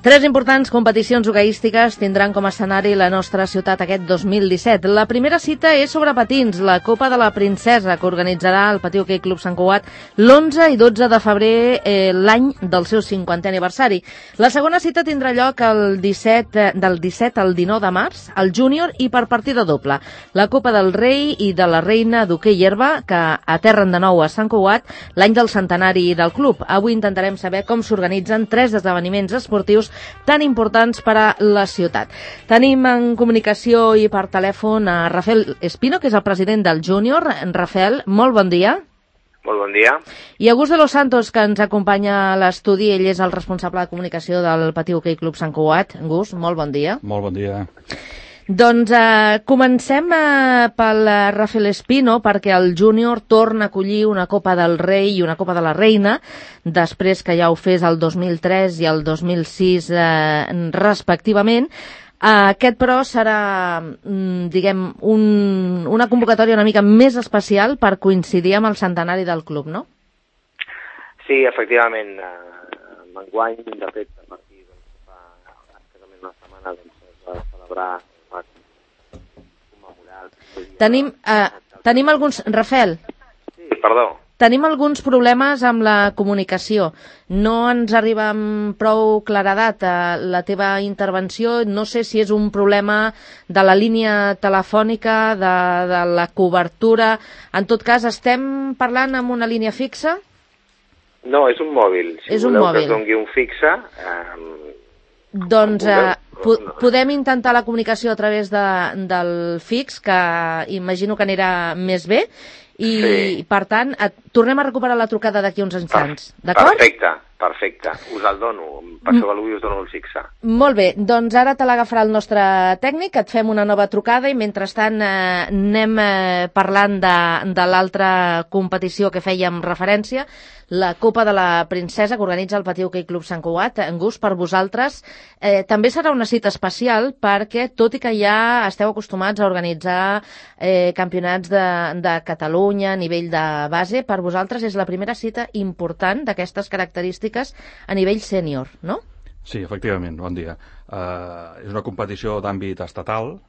Tres importants competicions hoqueístiques tindran com a escenari la nostra ciutat aquest 2017. La primera cita és sobre patins, la Copa de la Princesa, que organitzarà el Patí Hoquei Club Sant Cugat l'11 i 12 de febrer, l'any del seu 50è aniversari. La segona cita tindrà lloc del 17 al 19 de març, al júnior i per partida doble. La Copa del Rei i de la Reina d'Hoquei Herba, que aterren de nou a Sant Cugat l'any del centenari del club. Avui intentarem saber com s'organitzen tres esdeveniments esportius tan importants per a la ciutat. Tenim en comunicació i per telèfon a Rafael Espino, que és el president del júnior. Rafael, molt bon dia. Molt bon dia. I August de los Santos, que ens acompanya a l'estudi. Ell és el responsable de comunicació del Patí Hoquei Club Sant Cugat. August, molt bon dia. Molt bon dia. Doncs comencem pel Rafael Espino, perquè el júnior torna a acollir una Copa del Rei i una Copa de la Reina, després que ja ho fes el 2003 i el 2006 respectivament. Aquest, però, serà, diguem, una convocatòria una mica més especial per coincidir amb el centenari del club, no? Sí, efectivament. Enguany, de fet, a partir de fa escassament una setmana, es va celebrar, es va commemorar... Tenim alguns... Rafael? Sí, perdó. Tenim alguns problemes amb la comunicació. No ens arriba amb prou claredat la teva intervenció. No sé si és un problema de la línia telefònica, de la cobertura. En tot cas, estem parlant amb una línia fixa? No, és un mòbil. Si és un voleu mòbil. que es doni un fixe... Doncs podem intentar la comunicació a través del fix, que imagino que anirà més bé. I, sí. Per tant, tornem a recuperar la trucada d'aquí uns instants, d'acord? Perfecte. Us el dono. Passeu a l'ull i us dono el fixe. Molt bé, doncs ara te l'agafarà el nostre tècnic, et fem una nova trucada i mentrestant anem parlant de l'altra competició que fèiem referència, la Copa de la Princesa, que organitza el Patí Hoquei Club Sant Cugat. August, per vosaltres també serà una cita especial, perquè tot i que ja esteu acostumats a organitzar campionats de Catalunya a nivell de base, per vosaltres és la primera cita important d'aquestes característiques a nivell sènior, no? Sí, efectivament, bon dia. És una competició d'àmbit estatal,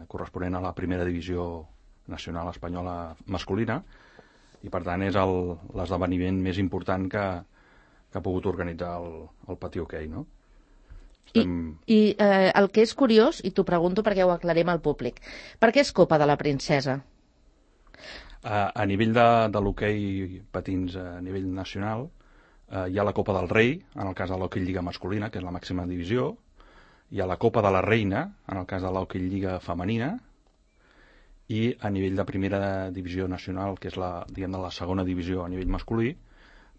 corresponent a la primera divisió nacional espanyola masculina, i per tant és l'esdeveniment més important que ha pogut organitzar el Patí Hoquei, no? I el que és curiós, i t'ho pregunto perquè ho aclarem al públic, per què és Copa de la Princesa? A nivell de l'hoquei patins a nivell nacional, hi ha la Copa del Rei, en el cas de l'hoquei lliga masculina, que és la màxima divisió, hi ha la Copa de la Reina, en el cas de l'hoquei lliga femenina, i a nivell de primera divisió nacional, que és la segona divisió a nivell masculí,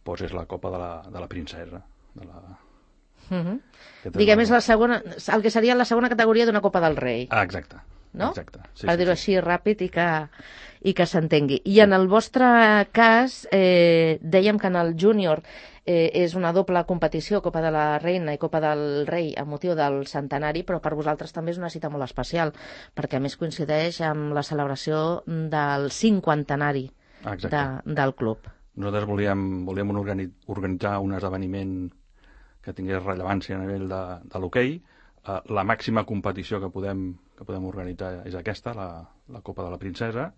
doncs és la Copa de la Princesa. Diguem, és la segona, el que seria la segona categoria d'una Copa del Rei. Exacte. No? Exacte. Sí, per dir-ho així ràpid i que s'entengui. I en el vostre cas, dèiem que en el júnior és una doble competició, Copa de la Reina i Copa del Rei, a motiu del centenari, però per vosaltres també és una cita molt especial, perquè a més coincideix amb la celebració del 50enari del club. Nosaltres volíem organitzar un esdeveniment que tingués rellevància a nivell de l'hoquei. La màxima competició que podem organitzar és aquesta, la Copa de la Princesa,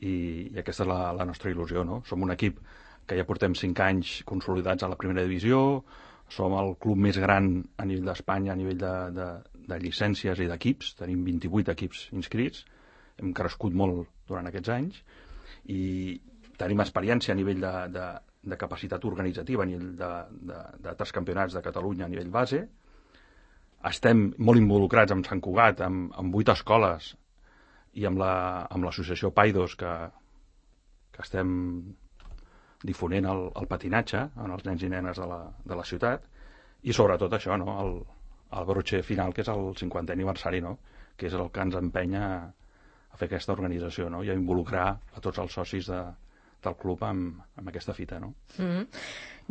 i aquesta és la nostra il·lusió, no? Som un equip que ja portem 5 anys consolidats a la primera divisió, som el club més gran a nivell d'Espanya, a nivell de llicències i d'equips, tenim 28 equips inscrits, hem crescut molt durant aquests anys, i tenim experiència a nivell de capacitat organitzativa, a nivell d'altres campionats de Catalunya a nivell base. Estem molt involucrats amb Sant Cugat, amb 8 escoles, i amb l'associació Paidos, que estem difonent el patinatge en els nens i nenes de la ciutat, i sobretot això, no? El broche final, que és el 50è aniversari, no? Que és el que ens empenya a fer aquesta organització, no? I a involucrar a tots els socis del club amb aquesta fita, no?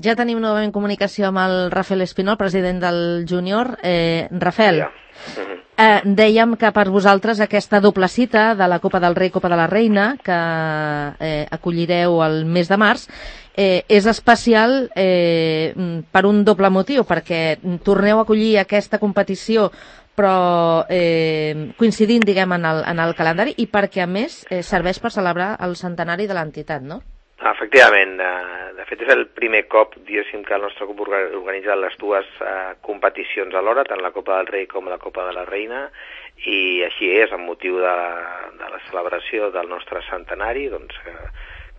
Ja tenim novament comunicació amb el Rafael Espino, el president del júnior. Rafael, dèiem que per vosaltres aquesta doble cita de la Copa del Rei i Copa de la Reina, que acollireu el mes de març, és especial per un doble motiu, perquè torneu a acollir aquesta competició però coincidint, diguem, en el calendari, i perquè, a més, serveix per celebrar el centenari de l'entitat, no? Efectivament. De fet, és el primer cop, diguéssim, que el nostre grup organitza les dues competicions alhora, tant la Copa del Rei com la Copa de la Reina, i així és, amb motiu de la celebració del nostre centenari, doncs,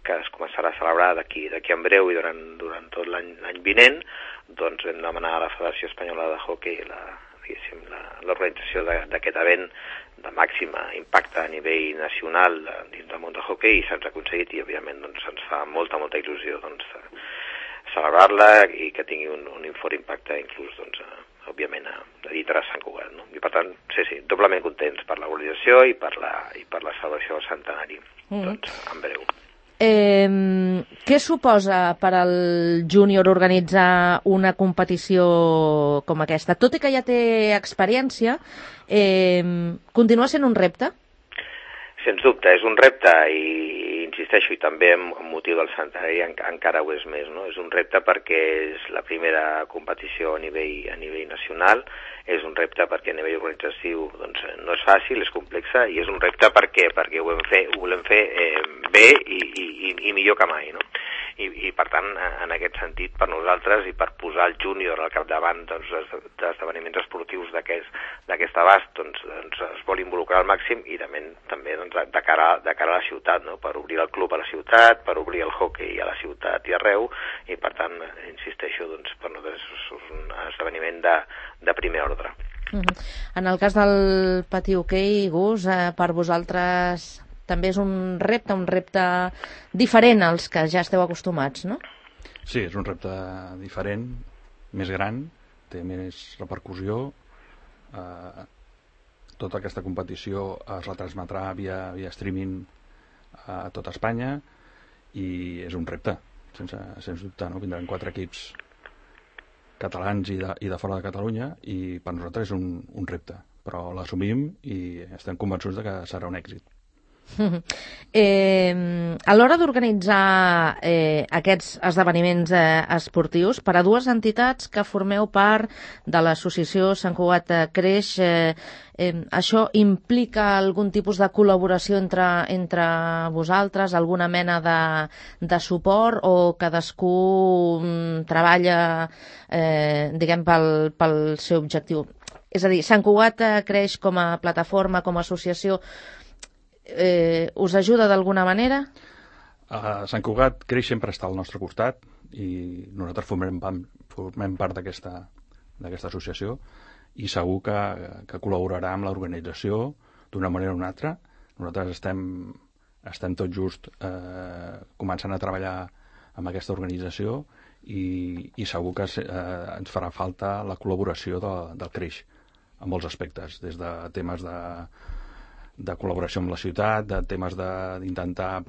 que es començarà a celebrar d'aquí en breu i durant tot l'any vinent, doncs vam demanar a la Federació Espanyola de Hockey l'organització d'aquest event de màxima impacte a nivell nacional dins del món del hockey, i se'ns ha aconseguit, i òbviament doncs, ens fa molta il·lusió doncs, celebrar-la i que tingui un fort impacte inclús doncs, òbviament a dintre de Sant Cugat, no? I per tant, sí, doblement contents per l'organització i per la celebració del centenari, doncs, en breu. Què suposa per al júnior organitzar una competició com aquesta? Tot i que ja té experiència, continua sent un repte? Sens dubte, és un repte, i insisteixo, i també amb motiu del centenari encara ho és més, no? És un repte perquè és la primera competició a nivell nacional, és un repte perquè a nivell organitzatiu doncs, no és fàcil, és complexa, i és un repte perquè ho volem fer bé i millor que mai, no? I per tant, en aquest sentit, per nosaltres i per posar el júnior al capdavant doncs, d'esdeveniments esportius d'aquest abast, doncs es vol involucrar al màxim, i també doncs, de cara a la ciutat, no? Per obrir el club a la ciutat, per obrir el hockey a la ciutat i arreu, i per tant, insisteixo, doncs, per nosaltres és un esdeveniment de primer ordre. En el cas del patí hoquei, Gus, per vosaltres també és un repte diferent als que ja esteu acostumats, no? Sí, és un repte diferent, més gran, té més repercussió. Tota aquesta competició es retransmetrà via streaming a tot Espanya, i és un repte, sens dubte, no? Vindran 4 equips catalans i de fora de Catalunya, i per nosaltres és un repte, però l'assumim i estem convençuts de que serà un èxit. A l'hora d'organitzar aquests esdeveniments esportius, per a dues entitats que formeu part de l'associació Sant Cugat Creix, això implica algun tipus de col·laboració entre vosaltres, alguna mena de suport, o cadascú treballa diguem pel seu objectiu? És a dir, Sant Cugat Creix com a plataforma, com a associació, us ajuda d'alguna manera? Sant Cugat Creix sempre està al nostre costat, i nosaltres formem part d'aquesta associació, i segur que col·laborarà amb l'organització d'una manera o una altra. Nosaltres estem tot just començant a treballar amb aquesta organització, i segur que ens farà falta la col·laboració del Creix en molts aspectes, des de temes de col·laboració amb la ciutat, de temes d'intentar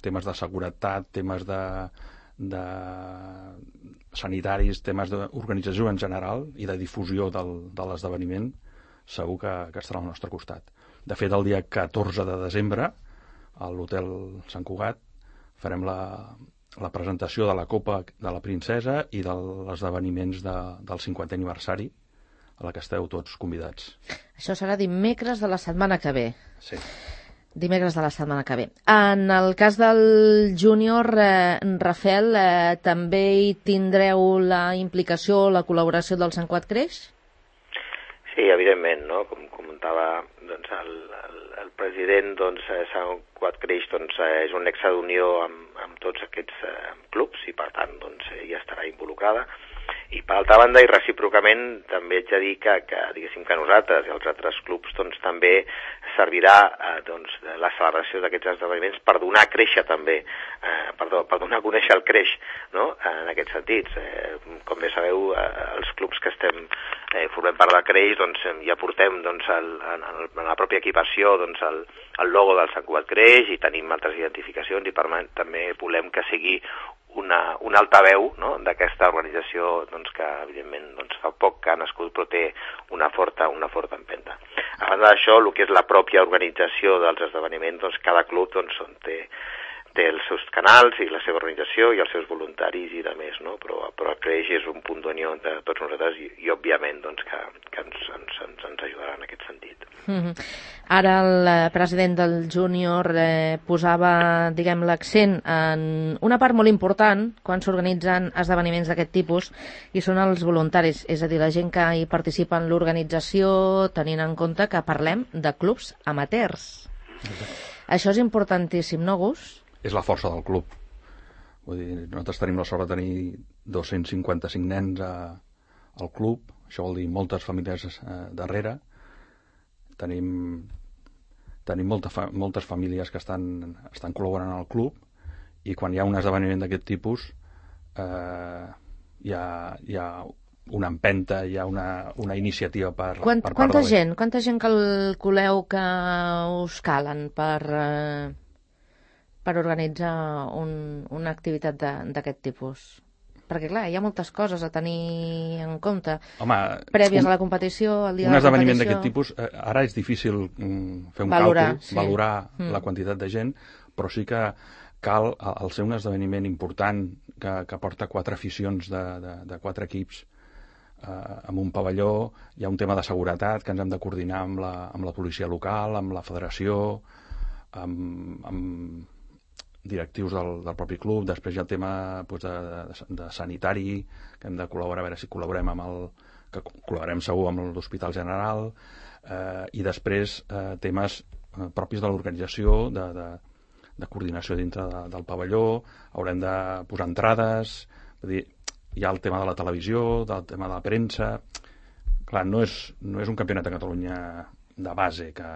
temes de seguretat, temes de sanitaris, temes d'organització en general i de difusió de l'esdeveniment. Segur que estarà al nostre costat. De fet, el dia 14 de desembre a l'Hotel Sant Cugat farem la presentació de la Copa de la Princesa i dels esdeveniments del 50è aniversari, a la que esteu tots convidats. Això serà dimecres de la setmana que ve. Sí. Dimecres de la setmana que ve. En el cas del júnior, Rafael, també hi tindreu la implicació, la col·laboració del Sant Cugat Creix? Sí, evidentment, no? Com comentava doncs, el president, doncs, Sant Cugat Creix doncs, és un nexe d'unió amb tots aquests clubs, i per tant doncs, ja estarà involucrada. I per altra banda, i recíprocament, també haig de dir que diguéssim que nosaltres i els altres clubs doncs, també servirà doncs, la celebració d'aquests esdeveniments per donar a créixer també, per donar a conèixer el Creix, no? En aquests sentits. Com bé sabeu, els clubs que formem part del Creix, doncs, ja portem doncs, en la pròpia equipació doncs, el logo del Sant Cugat Creix, i tenim altres identificacions, i per tant també volem que sigui un altaveu, no? D'aquesta organització doncs, que evidentment doncs, fa poc que ha nascut, però té una forta empenta. A banda d'això, el que és la pròpia organització dels esdeveniments, doncs, cada club doncs, té té els seus canals i la seva organització i els seus voluntaris i de més, no? Però el creix és un punt d'unió entre tots nosaltres i òbviament doncs, que ens ajudarà en aquest sentit. Ara el president del júnior posava, diguem, l'accent en una part molt important quan s'organitzen esdeveniments d'aquest tipus i són els voluntaris, és a dir, la gent que hi participa en l'organització, tenint en compte que parlem de clubs amateurs. Això és importantíssim, no, Gus? És la força del club. Vull dir, nosaltres tenim la sort de tenir 255 nens al club, això vol dir moltes famílies darrere. Tenim moltes famílies que estan col·laborant al club i quan hi ha un esdeveniment d'aquest tipus hi ha una empenta, hi ha una iniciativa per part de Quanta gent calculeu que us calen per organitzar una activitat d'aquest tipus? Perquè, clar, hi ha moltes coses a tenir en compte. Home, prèvies a la competició, el dia de la competició. Un esdeveniment d'aquest tipus, ara és difícil fer un càlcul, valorar la quantitat de gent, però sí que cal, al ser un esdeveniment important que porta 4 aficions de 4 equips en un pavelló, hi ha un tema de seguretat que ens hem de coordinar amb la policia local, amb la federació, amb directius del propi club. Després hi ha el tema de sanitari, que hem de col·laborar, a veure si col·laborem que col·laborem segur amb l'Hospital General, i després temes propis de l'organització, de coordinació dintre del pavelló, haurem de posar entrades, vull dir, hi ha el tema de la televisió, del tema de la premsa. Clar, no és un campionat de Catalunya de base que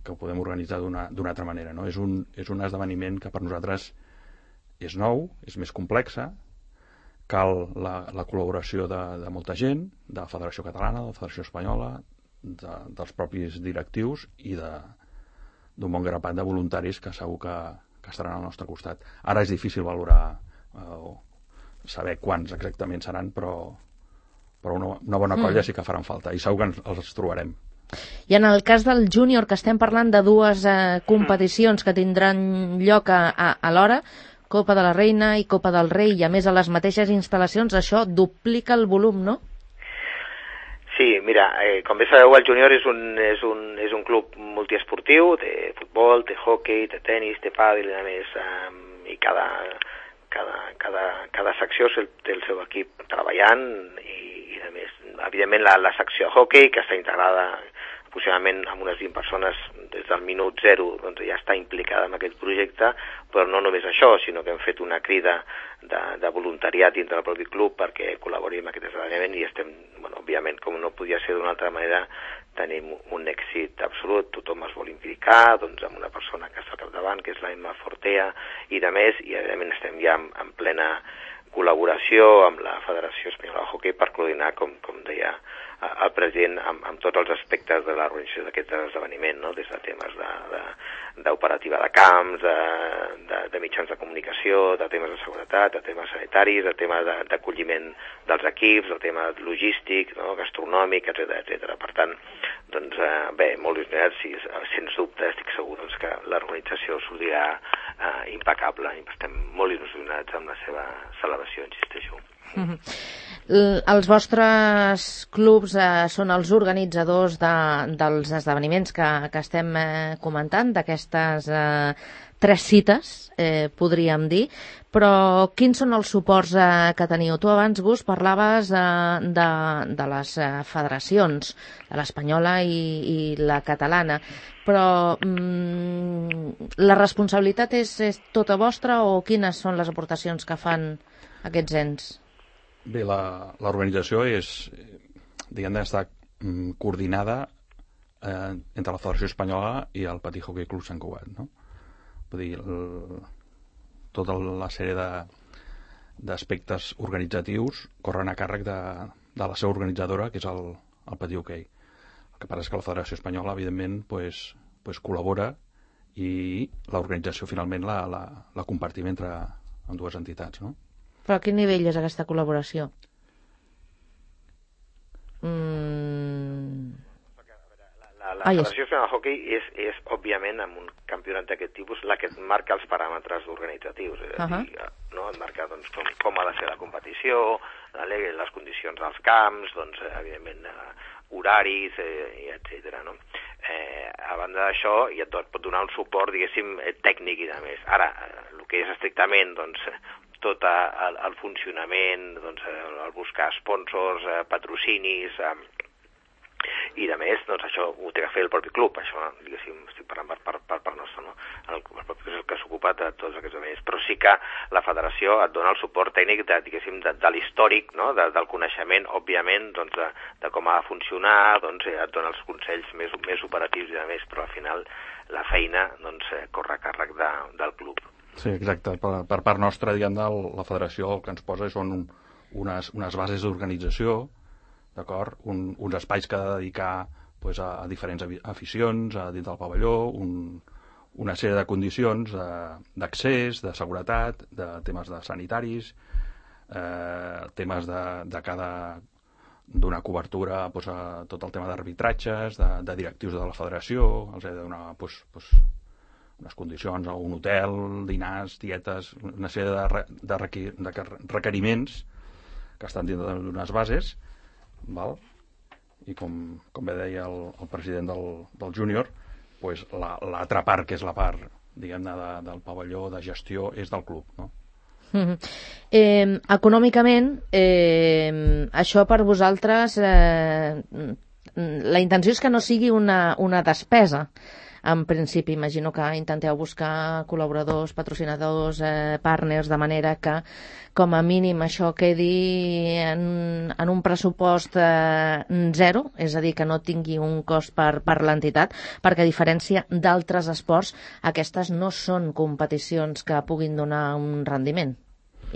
ho podem organitzar d'una altra manera, no? És un esdeveniment que per nosaltres és nou, és més complexa, cal la col·laboració de molta gent, de la Federació Catalana, de la Federació Espanyola, dels propis directius i d'un bon grapat de voluntaris que segur que estaran al nostre costat. Ara és difícil valorar saber quants exactament seran, però una bona colla sí que faran falta i segur que els trobarem. I en el cas del júnior, que estem parlant de 2 competicions que tindran lloc alhora, Copa de la Reina i Copa del Rei, i a més a les mateixes instal·lacions, això duplica el volum, no? Sí, mira, com bé sabeu, el júnior és un club multiesportiu, té futbol, té hoquei, té tenis, té pàdel i a més, i cada secció té el seu equip treballant i a més, evidentment la secció de hoquei, que està integrada aproximadament amb unes 20 persones des del minut 0, doncs ja està implicada en aquest projecte, però no només això, sinó que hem fet una crida de voluntariat dintre del propi club perquè col·labori amb aquest esdeveniment i estem, òbviament, com no podia ser d'una altra manera, tenim un èxit absolut, tothom es vol implicar, doncs amb una persona que està al capdavant, que és la Emma Fortea, i de més, i evidentment estem ja en plena col·laboració amb la Federació Espanyola de Hoquei per coordinar, com deia el president, amb tots els aspectes de l'organització d'aquest esdeveniment, no? Des de temes d'operativa de camps, de mitjans de comunicació, de temes de seguretat, de temes sanitaris, de temes d'acolliment dels equips, de tema logístic, no? Gastronòmic, etc. Per tant, doncs, bé, molt il·lusionats, i sens dubte estic segur doncs, que l'organització sortirà impecable, i estem molt il·lusionats amb la seva celebració, insisteixo. Els vostres clubs són els organitzadors dels esdeveniments que estem comentant, d'aquestes 3 cites, podríem dir, però quins són els suports que teniu? Tu abans, Gus, parlaves de les federacions, de l'espanyola i la catalana, però la responsabilitat és tota vostra o quines són les aportacions que fan aquests ens? Bé, l'organització està coordinada entre la Federació Espanyola i el Patí Hoquei Club Sant Cugat, no? Vull dir, tota la sèrie d'aspectes organitzatius corren a càrrec de la seva organitzadora, que és el Patí Hoquei. El que passa és que la Federació Espanyola, evidentment, col·labora i l'organització finalment la compartim entre dues entitats, no? Però a quin nivell és aquesta col·laboració? Federació Espanyola de Hockey és, òbviament, amb un campionat d'aquest tipus, la que et marca els paràmetres organitzatius. Et marca doncs, com ha de ser la competició, les condicions dels camps, doncs, evidentment, horaris, etc. No? A banda d'això, ja et pot donar un suport, diguéssim, tècnic i de més. Ara, el que és estrictament, doncs, tot el funcionament, doncs, el buscar sponsors, patrocinis, i de més, doncs això ho té que fer el propi club, això, diguéssim, estic parlant per part nostra, no? El propi club és el que s'ocupa de tots aquests elements, però sí que la federació et dona el suport tècnic de l'històric, no? Del coneixement, òbviament, doncs, de com ha de funcionar, doncs, et dona els consells més operatius i de més, però al final la feina doncs, corre a càrrec del club. Sí, exacte. Per part nostra, diguem, la federació el que ens posa són unes bases d'organització, d'acord? Uns espais que ha de dedicar pues, a diferents aficions dins del pavelló, una sèrie de condicions d'accés, de seguretat, de temes de sanitaris, temes de donar cobertura pues, a tot el tema d'arbitratges, de directius de la federació, els he de donar unes condicions a un hotel, dinars, dietes, una sèrie de requeriments que estan dins d'unes bases. Val? I com bé deia el president del júnior, pues, l'altra part, que és la part diguem-ne del pavelló de gestió, és del club, no? Econòmicament, això per vosaltres, la intenció és que no sigui una despesa. En principi, imagino que intenteu buscar col·laboradors, patrocinadors, partners, de manera que, com a mínim, això quedi en un pressupost zero, és a dir, que no tingui un cost per l'entitat, perquè a diferència d'altres esports, aquestes no són competicions que puguin donar un rendiment.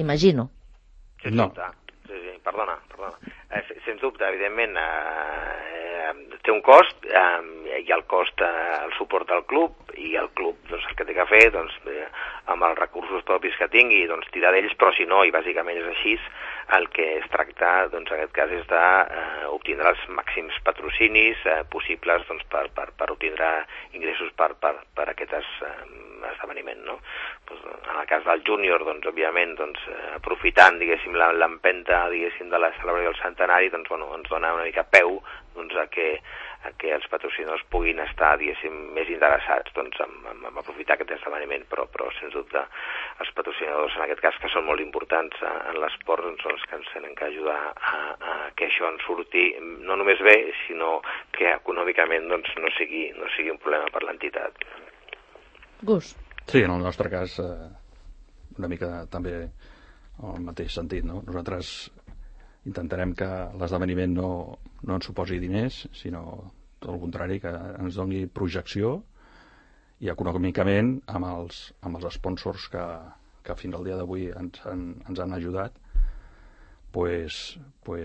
Imagino. No. Sí, perdona. Sens dubte, evidentment, té un cost, hi ha el cost, el suport del club, i el club doncs, el que té que fer, doncs, amb els recursos propis que tingui, doncs, tirar d'ells, però si no, i bàsicament és així, el que es tracta, doncs, en aquest cas, és d'obtindre els màxims patrocinis possibles doncs, per obtindre ingressos per aquest esdeveniment, no? Pues, en el cas del júnior, doncs, òbviament, doncs, aprofitant, diguéssim, l'empenta, diguéssim, de la celebració del centenari, doncs, bueno, ens dona una mica peu, doncs, a que els patrocinadors puguin estar, diguéssim, més interessats, doncs, en aprofitar aquest esdeveniment, però sens dubte, els patrocinadors, en aquest cas, que són molt importants en l'esport, doncs, són els que ens tenen que ajudar a que això ens surti no només bé, sinó que econòmicament, doncs, no sigui un problema per l'entitat. Gus. Sí, en el nostre cas una mica també en el mateix sentit, no? Nosaltres intentarem que l'esdeveniment no ens suposi diners, sinó tot el contrari, que ens doni projecció, i econòmicament amb els sponsors que fins al dia d'avui ens han ajudat, pues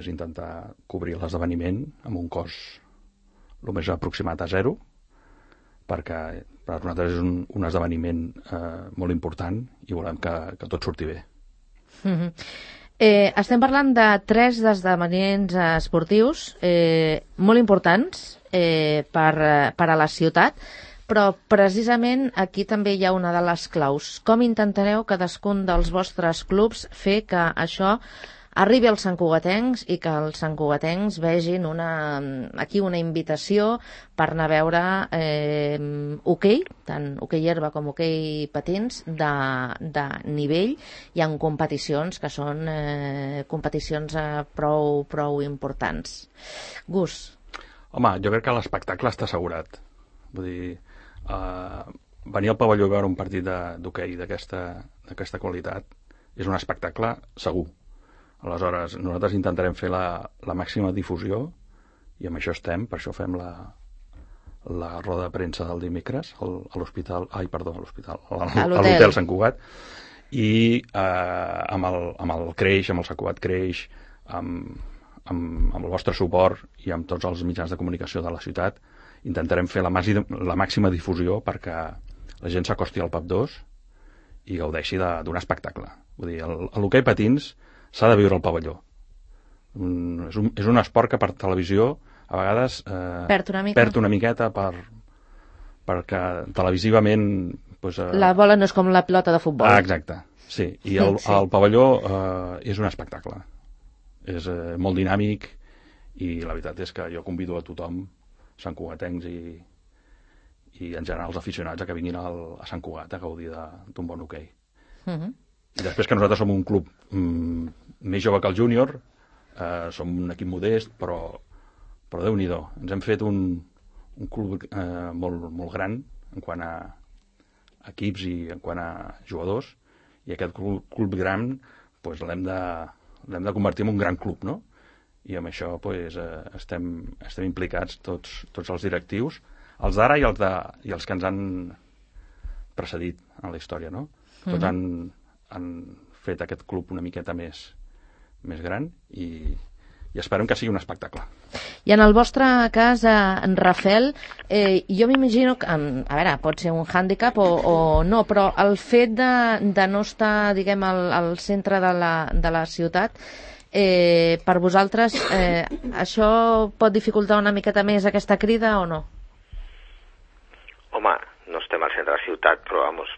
intentar cobrir l'esdeveniment amb un cost el més aproximat a zero, perquè per nosaltres és un esdeveniment molt important i volem que tot surti bé. Estem parlant de 3 esdeveniments esportius molt importants per a la ciutat, però precisament aquí també hi ha una de les claus. Com intentareu cadascun dels vostres clubs fer que això arribi als santcugatencs i que els santcugatencs vegin aquí una invitació per anar a veure hoquei, tant hoquei herba com hoquei patins de nivell, i en competicions que són competicions prou importants. Gus. Home, jo crec que l'espectacle està assegurat. Vull dir, venir al pavelló a veure un partit d'hoquei d'aquesta qualitat és un espectacle segur. Aleshores, nosaltres intentarem fer la màxima difusió, i amb això estem, per això fem la roda de premsa del dimecres a l'hospital, a l'hotel Sant Cugat, i amb el Creix, amb el Sant Cugat Creix, amb el vostre suport i amb tots els mitjans de comunicació de la ciutat, intentarem fer la màxima difusió perquè la gent s'acosti al PAP 2 i gaudeixi d'un espectacle. Vull dir, l'hoquei patins s'ha de viure al pavelló. És un esport que per televisió a vegades perd una miqueta perquè televisivament... Pues, la bola no és com la pilota de futbol. Exacte, sí. I el pavelló és un espectacle. És molt dinàmic i la veritat és que jo convido a tothom, santcugatencs i en general els aficionats, a que vinguin a Sant Cugat a gaudir d'un bon hoquei. I després que nosaltres som un club més jove que el júnior, som un equip modest, però Déu-n'hi-do. Ens hem fet un club molt gran en quant a equips i en quant a jugadors, i aquest club gran pues, l'hem de convertir en un gran club, no? I amb això pues, estem implicats tots els directius, els d'ara i els que ens han precedit en la història, no? Tots han fet aquest club una miqueta més gran i esperem que sigui un espectacle. I en el vostre cas, en Rafel, jo m'imagino que, a veure, pot ser un hàndicap o no, però el fet de no estar, diguem, al centre de la ciutat, per vosaltres, això pot dificultar una miqueta més aquesta crida o no? Home, no estem al centre de la ciutat, però, vamos...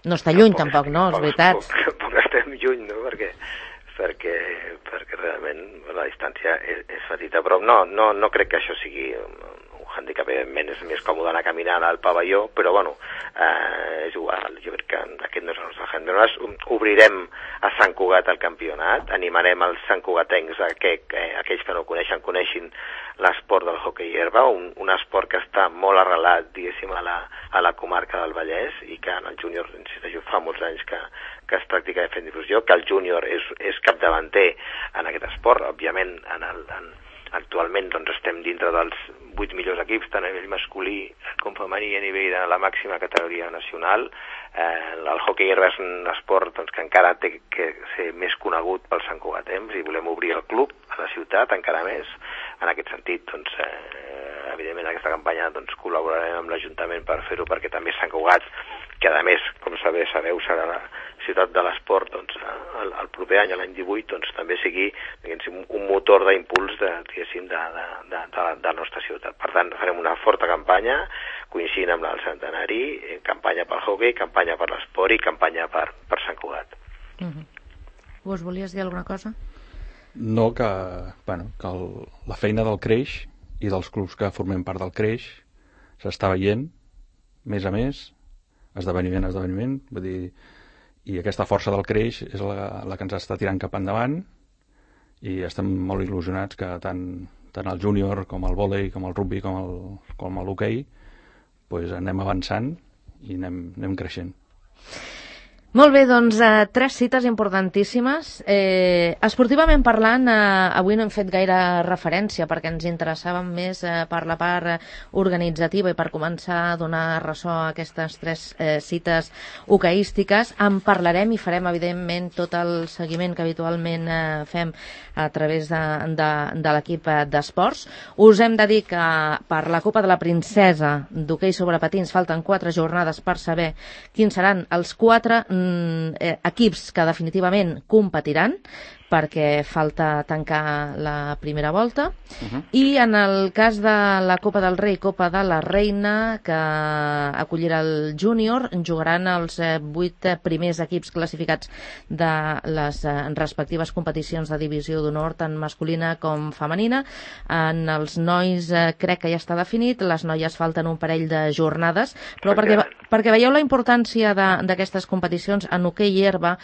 no està lluny, tampoc, no? És veritat. Tampoc estem lluny, no? Perquè realment la distància és petita, però no crec que això sigui un hàndicap. Evidentment és més còmode anar caminant al pavelló, però bueno, és igual. Jo crec que aquest no és el nostre hàndicap. Nosaltres obrirem a Sant Cugat el campionat, animarem els santcugatencs que aquells que no coneixin l'esport del hoquei herba, un esport que està molt arrelat, diguéssim, a la comarca del Vallès, i que en el júnior, insisteixo, fa molts anys que es practica fent difusió, que el júnior és capdavanter en aquest esport. Òbviament, actualment doncs, estem dintre dels 8 millors equips, tant a nivell masculí com femení, a nivell de la màxima categoria nacional. El hoquei herba és un esport doncs, que encara té que ser més conegut pels santcugatencs, i volem obrir el club a la ciutat encara més. En aquest sentit, doncs, evidentment, en aquesta campanya doncs, col·laborarem amb l'Ajuntament per fer-ho, perquè també Sant Cugat, que a més, com sabeu, serà la ciutat de l'esport, doncs, el proper any, l'any 18, doncs, també sigui un motor d'impuls de la nostra ciutat. Per tant, farem una forta campanya, coincidint amb el centenari, campanya pel hoquei, campanya per l'esport i campanya per Sant Cugat. Vos volies dir alguna cosa? No, que la feina del Creix i dels clubs que formem part del Creix s'està veient, més a més, esdeveniment, vull dir, i aquesta força del Creix és la que ens està tirant cap endavant, i estem molt il·lusionats que tant el júnior com el vòlei, com el rugby, com l'hoquei, pues anem avançant i anem creixent. Molt bé, doncs 3 cites importantíssimes. Esportivament parlant, avui no hem fet gaire referència perquè ens interessàvem més per la part organitzativa i per començar a donar ressò a aquestes 3 cites hoqueístiques. En parlarem i farem, evidentment, tot el seguiment que habitualment fem a través de l'equip d'esports. Us hem de dir que per la Copa de la Princesa d'hoquei sobre patins falten 4 jornades per saber quins seran els 4 equips que definitivament competiran, perquè falta tancar la primera volta. I en el cas de la Copa del Rei, Copa de la Reina, que acollirà el júnior, jugaran els 8 primers equips classificats de les respectives competicions de divisió d'honor, tant masculina com femenina. En els nois crec que ja està definit, les noies falten un parell de jornades, però perquè veieu la importància d'aquestes competicions en hoquei i herba,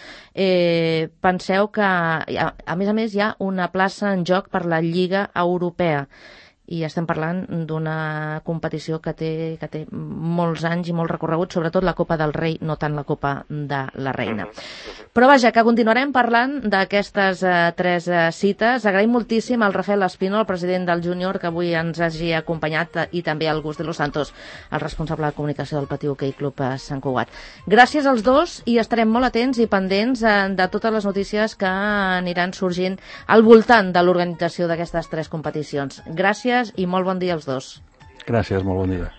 penseu que a més hi ha una plaça en joc per la Lliga Europea, i estem parlant d'una competició que té molts anys i molt recorregut, sobretot la Copa del Rei, no tant la Copa de la Reina. Però vaja, que continuarem parlant d'aquestes 3 cites. Agraïm moltíssim al Rafael Espino, el president del júnior, que avui ens hagi acompanyat, i també al Gus de los Santos, el responsable de comunicació del Patí Hoquei Club Sant Cugat. Gràcies als dos, i estarem molt atents i pendents de totes les notícies que aniran sorgint al voltant de l'organització d'aquestes 3 competicions. Gràcies i molt bon dia als dos. Gràcies, molt bon dia.